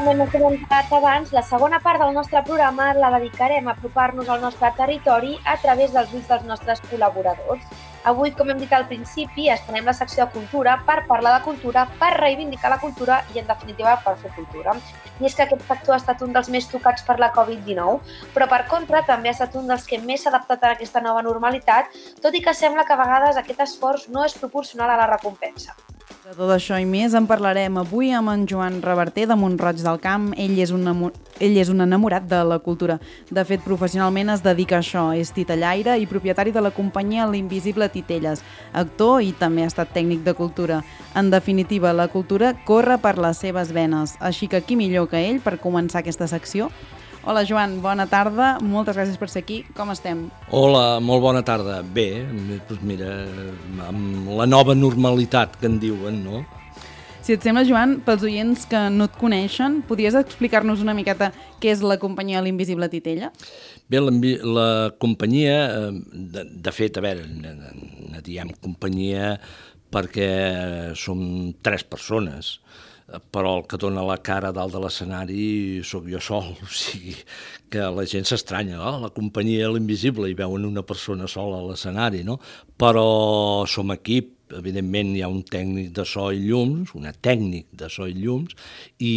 com hem comentat abans, la segona part del nostre programa la dedicarem a apropar-nos al nostre territori a través dels ulls dels nostres col·laboradors. Avui, com hem dit al principi, estrenem la secció de cultura per parlar de cultura, per reivindicar la cultura i, en definitiva, per fer cultura. I és que aquest sector ha estat un dels més tocats per la Covid-19, però, per contra, també ha estat un dels que més s'ha adaptat a aquesta nova normalitat, tot i que sembla que a vegades aquest esforç no és proporcional a la recompensa. De tot això i més en parlarem avui amb en Joan Reverter de Mont-roig del Camp. Ell és un enamorat de la cultura. De fet, professionalment es dedica a això. És titellaire i propietari de la companyia L'Invisible Titelles, actor i també ha estat tècnic de cultura. En definitiva, la cultura corre per les seves venes. Així que qui millor que ell per començar aquesta secció? Hola, Joan, bona tarda. Moltes gràcies per ser aquí. Com estem? Hola, molt bona tarda. Bé, doncs mira, amb la nova normalitat que en diuen, no? Si et sembla, Joan, pels oients que no et coneixen, podries explicar-nos una miqueta què és la companyia L'Invisible Titella? Bé, la companyia, de fet, a veure, ne diem companyia perquè som 3 persones, però el que dona la cara dalt de l'escenari sóc jo sol, o sigui que la gent s'estranya, la companyia L'Invisible, i veuen una persona sola a l'escenari, no? Però som equip, evidentment hi ha un tècnic de so i llums, una tècnic de so i llums, i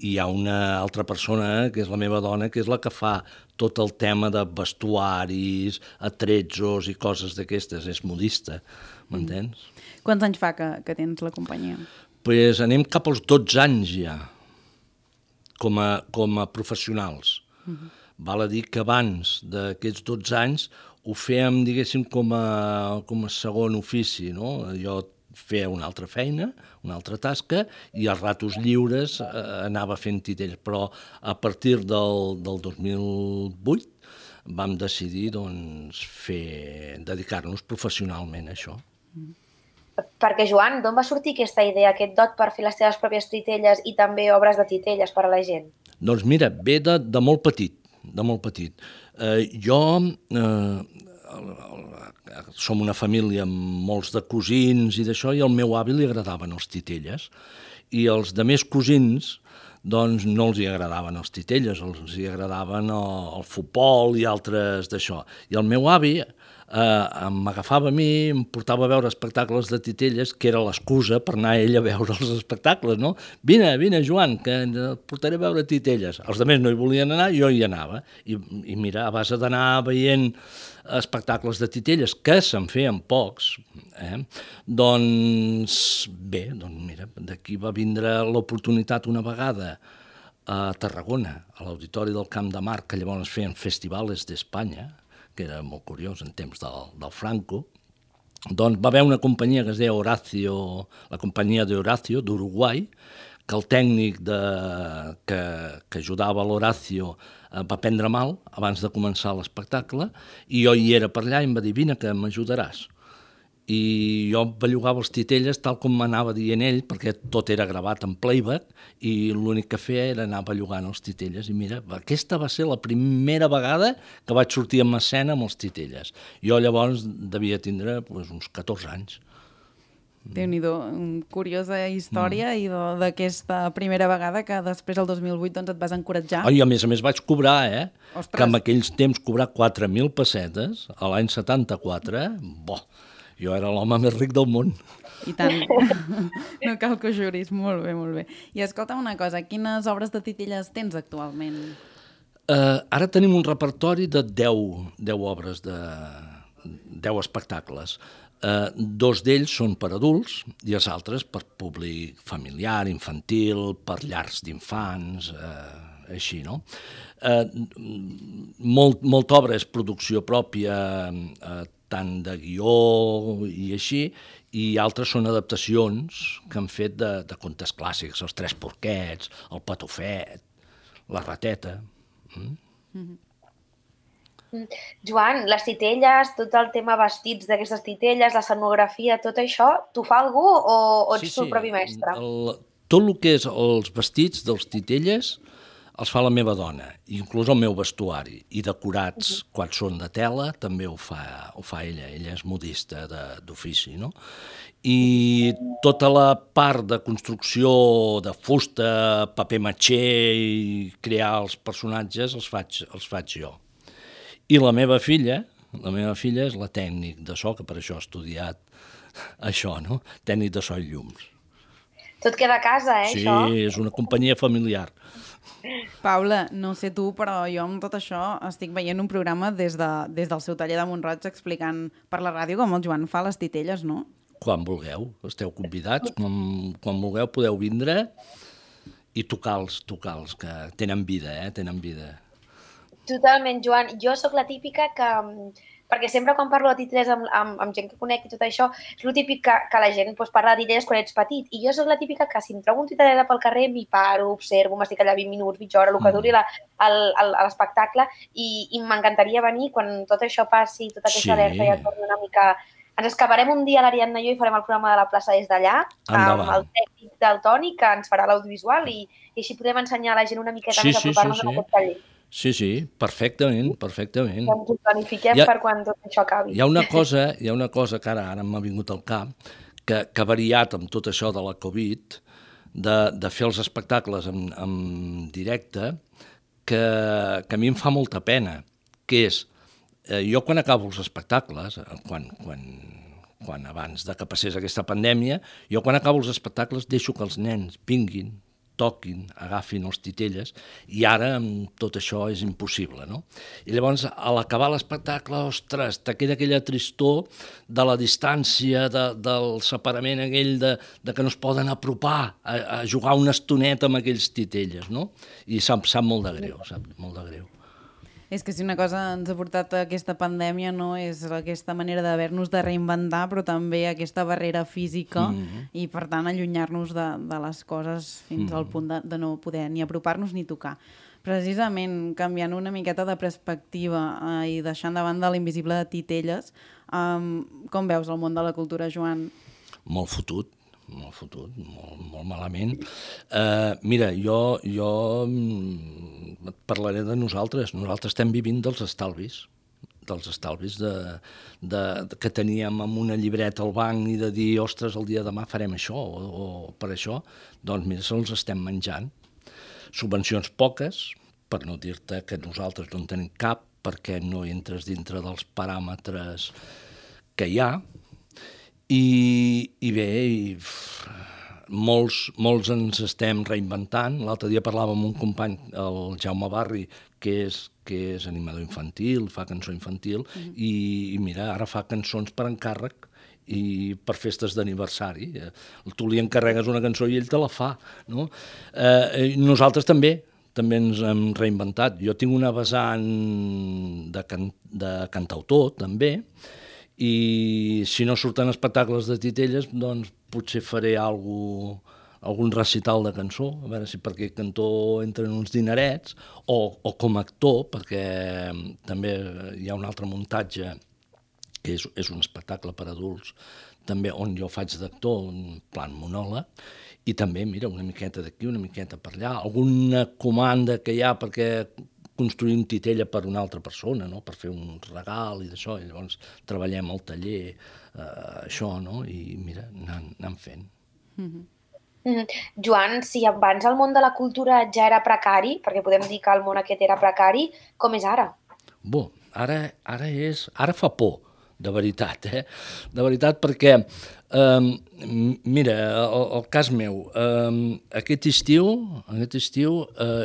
hi ha una altra persona, que és la meva dona, que és la que fa tot el tema de vestuaris, atrezzos i coses d'aquestes, és modista, m'entens? Quants anys fa que tens la companyia? Pues anem cap als 12 anys ja, com a professionals. Val a dir que abans d'aquests 12 anys ho fèiem, diguéssim, com a segon ofici, no? Jo feia una altra feina, una altra tasca, i als ratos lliures anava fent titelles, però a partir del 2008 vam decidir doncs, dedicar-nos professionalment a això. Perquè, Joan, d'on va sortir aquesta idea, aquest dot per fer les teves pròpies titelles i també obres de titelles per a la gent? Doncs mira, ve de molt petit, de molt petit. Som una família amb molts de cosins i d'això, i al meu avi li agradaven els titelles. I els de més cosins, doncs no els hi agradaven els titelles, els hi agradaven el futbol i altres d'això. I el meu avi m'agafava a mi, em portava a veure espectacles de titelles, que era l'excusa per anar ell a veure els espectacles, no? Vine, Joan, que et portaré a veure titelles. Els altres no hi volien anar, jo hi anava. I mira, a base d'anar veient espectacles de titelles, que se'n feien pocs, doncs bé, mira, d'aquí va vindre l'oportunitat una vegada a Tarragona, a l'Auditori del Camp de Marc, que llavors feien festivals d'Espanya, que era molt curiós en temps del Franco. Doncs va haver una companyia que es deia Horacio, la companyia d'Horacio, d'Uruguai, que el tècnic que ajudava l'Horacio va prendre mal abans de començar l'espectacle, i jo hi era per allà i em va dir, vine que m'ajudaràs. I jo bellugava els titelles tal com m'anava dient ell, perquè tot era gravat en playback, i l'únic que feia era anar bellugant els titelles. I mira, aquesta va ser la primera vegada que vaig sortir en escena amb els titelles. Jo llavors devia tindre uns 14 anys. Déu-n'hi-do, curiosa història, i d'aquesta primera vegada que després, el 2008, doncs et vas encoratjar. I a més vaig cobrar, Ostres. Que en aquells temps cobrar 4.000 pessetes, a l'any 74, jo era l'home més ric del món. I tant, no cal que ho juris, molt bé, molt bé. I escolta'm una cosa, quines obres de titelles tens actualment? Ara tenim un repertori de 10 obres, de 10 espectacles. 2 d'ells són per adults i els altres per públic familiar, infantil, per llars d'infants, així, no? Molta obra és producció pròpia, tant de guió i així, i altres són adaptacions que han fet de contes clàssics, els Tres Porquets, el Patufet, la Rateta. Joan, les titelles, tot el tema vestits d'aquestes titelles, l'escenografia, tot això, t'ho fa algú o ets tu el propi mestre? Tot el que és els vestits dels titelles els fa la meva dona, inclús el meu vestuari, i decorats, quan són de tela, també ho fa ella és modista d'ofici, no? I tota la part de construcció de fusta, paper matxer i crear els personatges els faig jo. I la meva filla és la tècnic de so, que per això ha estudiat això, no? Tècnic de so i llums. Tot queda a casa, això? Sí, és una companyia familiar. Paula, no sé tu, però jo amb tot això estic veient un programa des del seu taller de Mont-roig explicant per la ràdio com el Joan fa les titelles, no? Quan vulgueu, esteu convidats, quan vulgueu podeu vindre i tocar-los, que tenen vida, tenen vida. Totalment, Joan. Jo sóc la típica que... Perquè sempre quan parlo de titelles amb gent que conec i tot això, és el típic que la gent parla de titelles quan ets petit. I jo sóc la típica que si em trobo un titellera pel carrer m'hi paro, observo, m'estic allà 20 minuts, mitja hora, el que duri l'espectacle, i m'encantaria venir quan tot això passi, tota aquesta alerta ja torni una mica... Ens escaparem un dia a l'Ariadna i jo i farem el programa de la plaça des d'allà, amb el tècnic del Toni, que ens farà l'audiovisual, i així podem ensenyar a la gent una miqueta més a apropar-nos a aquest taller. Sí, perfectament. Doncs ho planifiquem per quan tot això acabi. Hi ha una cosa que ara m'ha vingut al cap, que ha variat amb tot això de la Covid, de fer els espectacles en directe, que a mi em fa molta pena, que és, jo quan acabo els espectacles, quan abans de que passés aquesta pandèmia, jo quan acabo els espectacles deixo que els nens vinguin, toquin, agafin els titelles, i ara amb tot això és impossible, no? I llavors, a l'acabar l'espectacle, ostres, te queda aquella tristor de la distància, del separament aquell de que no es poden apropar a jugar una estoneta amb aquells titelles, no? I sap molt de greu, És que si una cosa ens ha portat a aquesta pandèmia, no, és aquesta manera d'haver-nos de reinventar, però també aquesta barrera física i, per tant, allunyar-nos de les coses fins al punt de no poder ni apropar-nos ni tocar. Precisament, canviant una miqueta de perspectiva i deixant de banda l'invisible de titelles, com veus el món de la cultura, Joan? Molt fotut, molt malament. Mira, jo et parlaré de nosaltres. Nosaltres estem vivint dels estalvis que teníem amb una llibreta al banc i de dir, ostres, el dia de demà farem això o per això. Doncs mira, se'ls estem menjant. Subvencions poques, per no dir-te que nosaltres no en tenim cap, perquè no entres dintre dels paràmetres que hi ha. I bé, molts ens estem reinventant. L'altre dia parlàvem amb un company, el Jaume Barri, que és animador infantil, fa cançó infantil, i mira, ara fa cançons per encàrrec i per festes d'aniversari. Tu li encarregues una cançó i ell te la fa, no? Nosaltres també ens hem reinventat. Jo tinc una vessant de cantautor, també, i si no surten espectacles de titelles, doncs potser faré algun recital de cançó, a veure si per aquest cantó entren uns dinerets, o com a actor, perquè també hi ha un altre muntatge, que és un espectacle per adults, també on jo faig d'actor, en plan monòleg, i també, mira, una miqueta d'aquí, una miqueta per allà, alguna comanda que hi ha perquè construir un titella per una altra persona, no? Per fer un regal i d'això, i llavors treballem al taller, això, no? I mira, anem fent. Joan, si abans el món de la cultura ja era precari, perquè podem dir que el món aquest era precari, com és ara? Ara fa por, de veritat, De veritat, perquè, mira, el cas meu, aquest estiu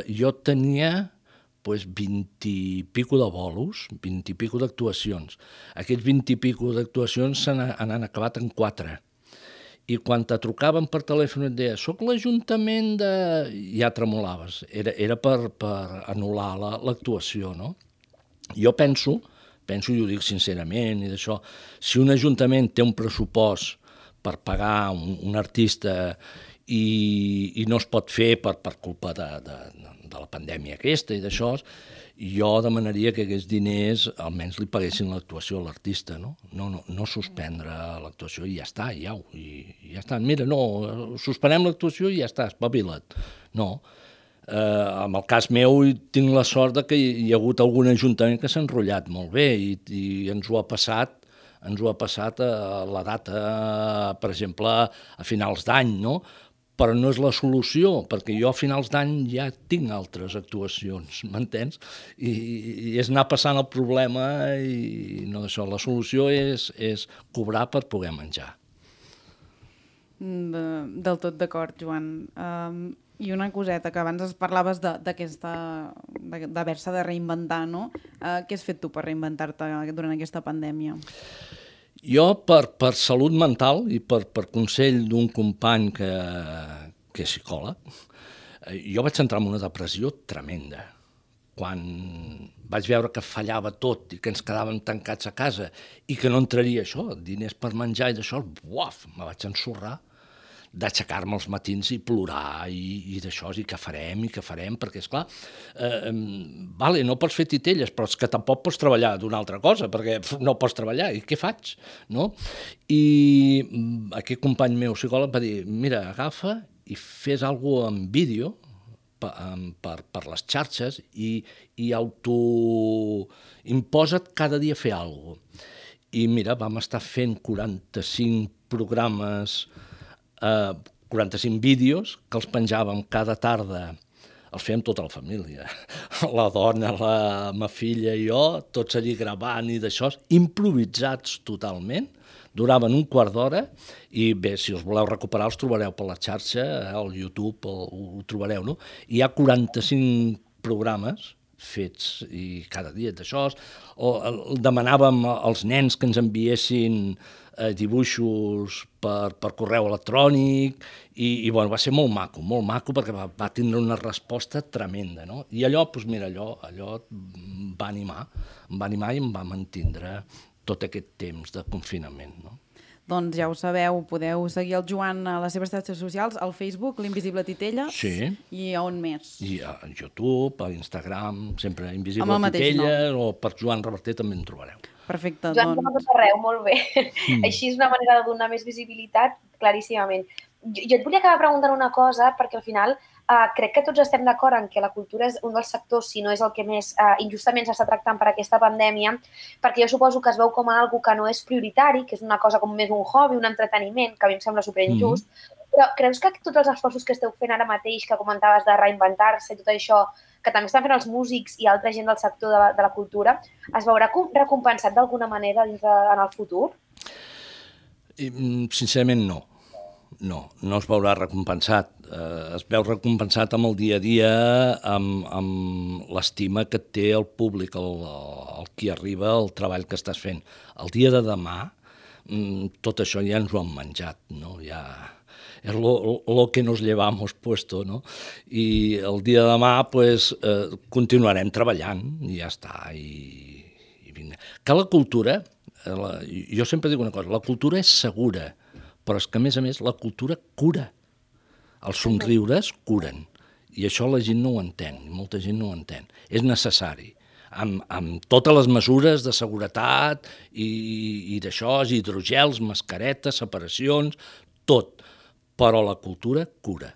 jo tenia 20 i pico de bolos, 20 i pico d'actuacions. Aquests 20 i pico d'actuacions han acabat en 4. I quan te trucaven per telèfon et deia, soc l'Ajuntament de... Ja tremolaves. Era per anul·lar l'actuació, no? Jo penso, i ho dic sincerament, i d'això, si un ajuntament té un pressupost per pagar un artista i no es pot fer per culpa de la pandèmia aquesta i d'això, jo demanaria que aquests diners almenys li paguessin l'actuació a l'artista, no? No suspendre l'actuació i ja està, ja està. Mira, no, suspenem l'actuació i ja està, espavila't. No, En el cas meu tinc la sort que hi ha hagut algun ajuntament que s'ha enrotllat molt bé i ens ho ha passat a la data, per exemple, a finals d'any, no? Però no és la solució, perquè jo a finals d'any ja tinc altres actuacions, m'entens? I és anar passant el problema i no d'això. La solució és cobrar per poder menjar. Del tot d'acord, Joan. I una coseta, que abans parlaves d'haver-se de reinventar, no? Què has fet tu per reinventar-te durant aquesta pandèmia? Jo, per salut mental i per consell d'un company que és psicòleg, jo vaig entrar en una depressió tremenda. Quan vaig veure que fallava tot i que ens quedàvem tancats a casa i que no entraria això, diners per menjar i d'això, me vaig ensorrar d'aixecar-me els matins i plorar i d'això, i què farem, perquè, esclar, no pots fer titelles, però és que tampoc pots treballar d'una altra cosa, perquè no pots treballar, i què faig? No? I aquest company meu psicòleg va dir, mira, agafa i fes alguna cosa en vídeo per les xarxes i imposa't cada dia fer alguna cosa. I mira, vam estar fent 45 programes 45 vídeos que els penjàvem cada tarda, els fèiem tota la família, la dona, la meva filla i jo, tots allí gravant i d'això, improvisats totalment, duraven un quart d'hora i bé, si els voleu recuperar els trobareu per la xarxa, al YouTube ho trobareu, no? Hi ha 45 programes fets i cada dia d'això, demanàvem als nens que ens enviessin dibuixos per correu electrònic i bueno, va ser molt maco perquè va tindre una resposta tremenda, no? I allò, doncs mira, allò em va animar i em va mantindre tot aquest temps de confinament, no? Doncs ja ho sabeu, podeu seguir el Joan a les seves xarxes socials, al Facebook, l'Invisible Titella, sí. I a on més? I a YouTube, a Instagram, sempre Invisible Titella, o per Joan Reverter també en trobareu. Perfecte, Joan, doncs... Joan, arreu, molt bé. Així és una manera de donar més visibilitat, claríssimament. Jo et volia acabar preguntant una cosa, perquè al final crec que tots estem d'acord en que la cultura és un dels sectors, si no és el que més injustament s'està tractant per aquesta pandèmia, perquè jo suposo que es veu com a algo que no és prioritari, que és una cosa com més un hobby, un entreteniment, que a mi em sembla superinjust, però creus que tots els esforços que esteu fent ara mateix, que comentaves de reinventar-se i tot això, que també estan fent els músics i altra gent del sector de la cultura, es veurà recompensat d'alguna manera en el futur? Sincerament, no. No es veurà recompensat. Es veu recompensat amb el dia a dia, amb l'estima que et té el públic, el qui arriba, el treball que estàs fent. El dia de demà, tot això ja ens ho han menjat, no? Ja és lo que nos llevamos puesto, no? I el dia de demà, pues, continuarem treballant i ja està. Que la cultura, jo sempre dic una cosa, la cultura és segura, però és que, a més, la cultura cura. Els somriures curen. I això la gent no ho entén, i molta gent no ho entén. És necessari, amb totes les mesures de seguretat i d'això, hidrogels, mascaretes, separacions, tot. Però la cultura cura.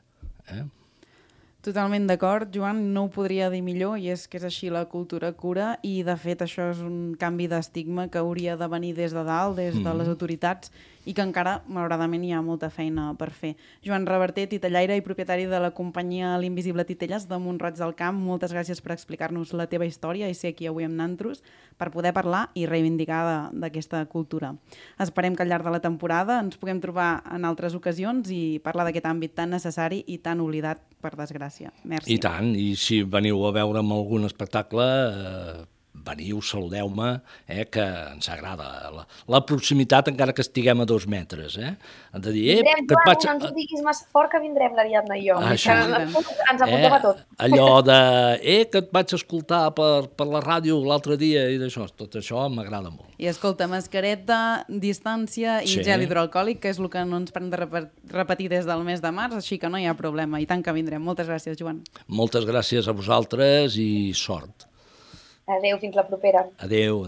Totalment d'acord, Joan, no ho podria dir millor, i és que és així, la cultura cura, i de fet això és un canvi d'estigma que hauria de venir des de dalt, des de les autoritats, i que encara, malauradament, hi ha molta feina per fer. Joan Reverter, titellaire i propietari de la companyia L'Invisible Titelles de Mont-roig del Camp, moltes gràcies per explicar-nos la teva història i ser aquí avui amb nantros per poder parlar i reivindicar d'aquesta cultura. Esperem que al llarg de la temporada ens puguem trobar en altres ocasions i parlar d'aquest àmbit tan necessari i tan oblidat, per desgràcia. Merci. I tant, i si veniu a veure'm algun espectacle, veniu, saludeu-me, que ens agrada. La proximitat, encara que estiguem a 2 metres. Han de dir, no ens ho diguis massa fort, que vindrem l'Ariadna i jo. Ens apuntem a tot. Allò de, que et vaig escoltar per la ràdio l'altre dia i d'això, tot això m'agrada molt. I escolta, mascareta, distància i gel hidroalcohòlic, que és el que no ens paren de repetir des del mes de març, així que no hi ha problema. I tant que vindrem. Moltes gràcies, Joan. Moltes gràcies a vosaltres i sort. Adéu, fins la propera. Adéu.